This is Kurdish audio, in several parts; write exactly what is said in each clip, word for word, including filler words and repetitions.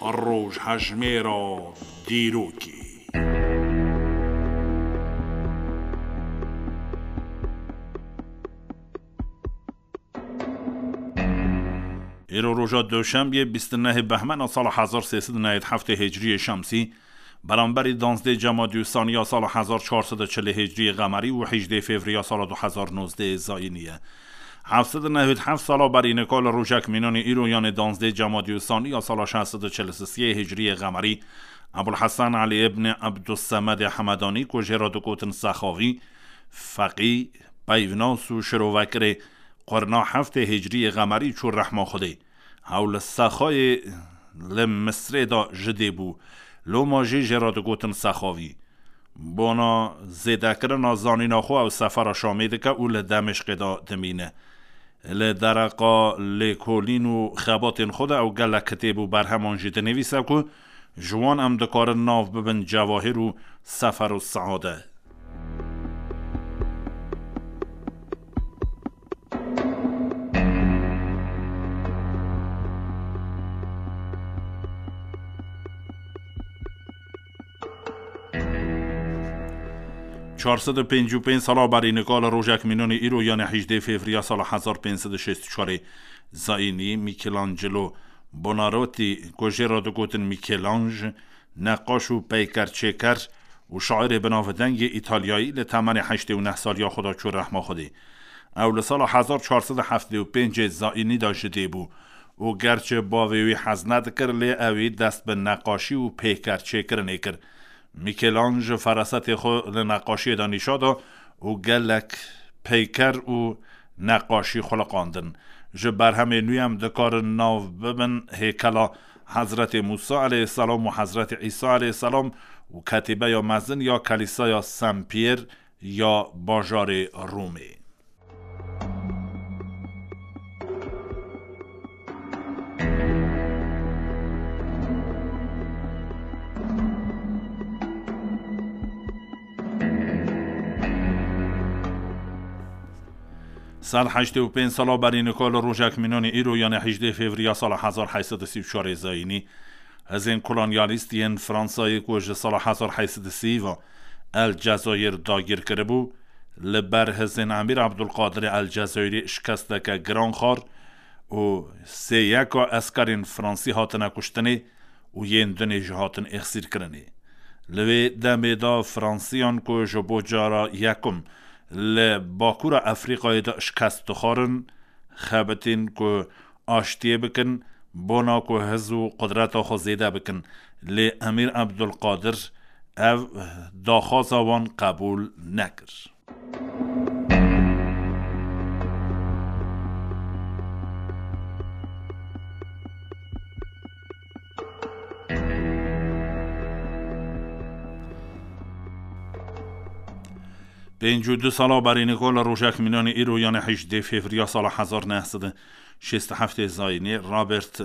Rojhejmêra dîrokê. Îro roja Duşenbeyê bîst û nehê Behmena sala hezar sê sed û newêd heftê Hicriyê Şemsî, beramberî danzdê Cemadî û Sanî ya sala hezar çar sed û çilê Hicriyê Qemerî û hejdê Fevriya sala du hezar nozdehê Zayînî ye. Heft sed û newêd heft sala berî nika li rojek mînanê îro, yanê danzdê Cemadî û Sanî ya sala şeş sed û çil û sisê Hicriyê Qemerî, Ebul Hesen Elî îbnê Ebdussemedê Hemedanî ku jê re digotin Sexavî, feqî, peyvnas û şirovekirê qurna heftê Hicriyê Qemerî çû rehma Xwedê. Ew li Sexayê li Misrê de ji dê bû. Loma jî jê re digotin Sexavî. Bona zêdekirina zanîna xwe ew sefera Şamê dike û li Demêşqê de dimîne. Li dereqa lêkolîn û xebatên xwe de ew gelek kitêb û berheman jî dinivîse ku ji wan em dikarin nav bibin Cewahir û Sefer û Seade. Çar sed û pêncî û pênc sala berî nika li rojek mînanê îro, yanê hejdê Fevriya sala hezar pênc sed û şêst û çarê Zayînî, Michelangelo Buonarroti, ku jê re digotin Michelangelo, neqaş û peykerçêker û şairê binavdeng yê Îtalyayî, li temenê heştê û neh saliya xwe de çû rehma Xwedê. Ew li sala hezar çar sed û heftê û pêncê Zayînî de ji dê bû û gerçi bavê wî hez nedikir, lê ewî dest bi neqaşî û peykerçêkirinê kir. Michelangelo ferasetê xwe li neqaşiyê de nîşa da û gelek peyker û neqaşî xuliqandin. Ji berhemên wî em dikarin nav bibin hêkela Hezretê Mûsa eleyhîsselam û Hezretê Îsa eleyhîsselam û ketîbeya mezin ya Kelîsaya Saint Pierre ya bajarê Romê. Sed heştê û pênc sala berî nika li rojek mînanê îro, yanê hejdê Fevriya sala hezar heyt sed û sî û çarê Zayînî, hizên kolonyalîst yên Fransayê ku ji sala hezar heyt sed û sî ve El Cezayir dagîr kiribû, li ber hizên Emîr Ebdulqadirê El Cezayirî şikesteke giran xwar û sê yeka eskerên fransî hatine kuştinê û yên dinê jî hatin êxsîrkirinê. Li wê demê de Fransiyan ku ji bo cara yekum li Bakûra Efrîqayê de şikest dixwarin, xebitîn ku aştiyê bikin, bona ku hiz û qudreta xwe zêde bikin. Lê Emîr Ebdulqadir ev daxwaza wan qebûl nekir. Pêncî û du sala berî nika li rojek mînanê îro, yanê hejdê Fevriya sala hezar neh sed û şêst û heftê Zayînê, Robert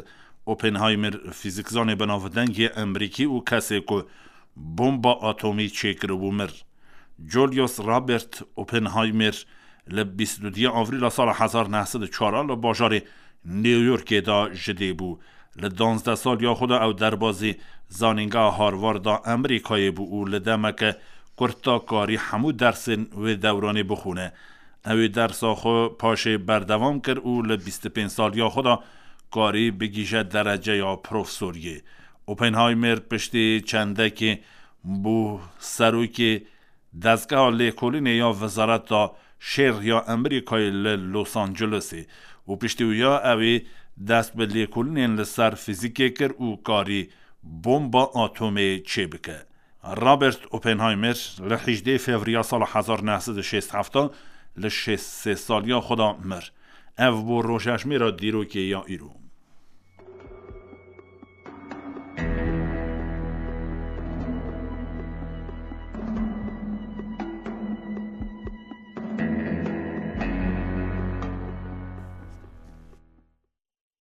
Oppenheimer, fîzîkzanê binavdeng yê Emerîkî û kesê ku bomba atomî çêkiribû, mir. Julius Robert Oppenheimer li bîst û duyê Avrîla sala hezar neh sed û çar li bajarê New Yorkê de ji dê bû. Li danzdeh saliya xwe de ew derbazî Zanîngeha Harvard a Amerîkayê bû û li demeke kurt de karî hemû dersên wê dewranê bixwîne. Ew ê dersa xwe paşê berdewam kir û li bîst û pênc saliya xwe de karî bigihîje dereceya profesoriyê. Oppenheimer piştî çendekê bû serokê dezgeha lêkolînê ya Wezareta Şer ya Amerîkayê li Los Angelesê û piştî wiya ew ê dest bi lêkolînên li ser fîzîkê kir û karî bomba atomê çêbike. Robert Oppenheimer li hejdê Fevriya sala hezar neh sed û şêst û heft li şêst û sê saliya xwe de mir. Ev bû rojhejmêra dîrokê ya îro.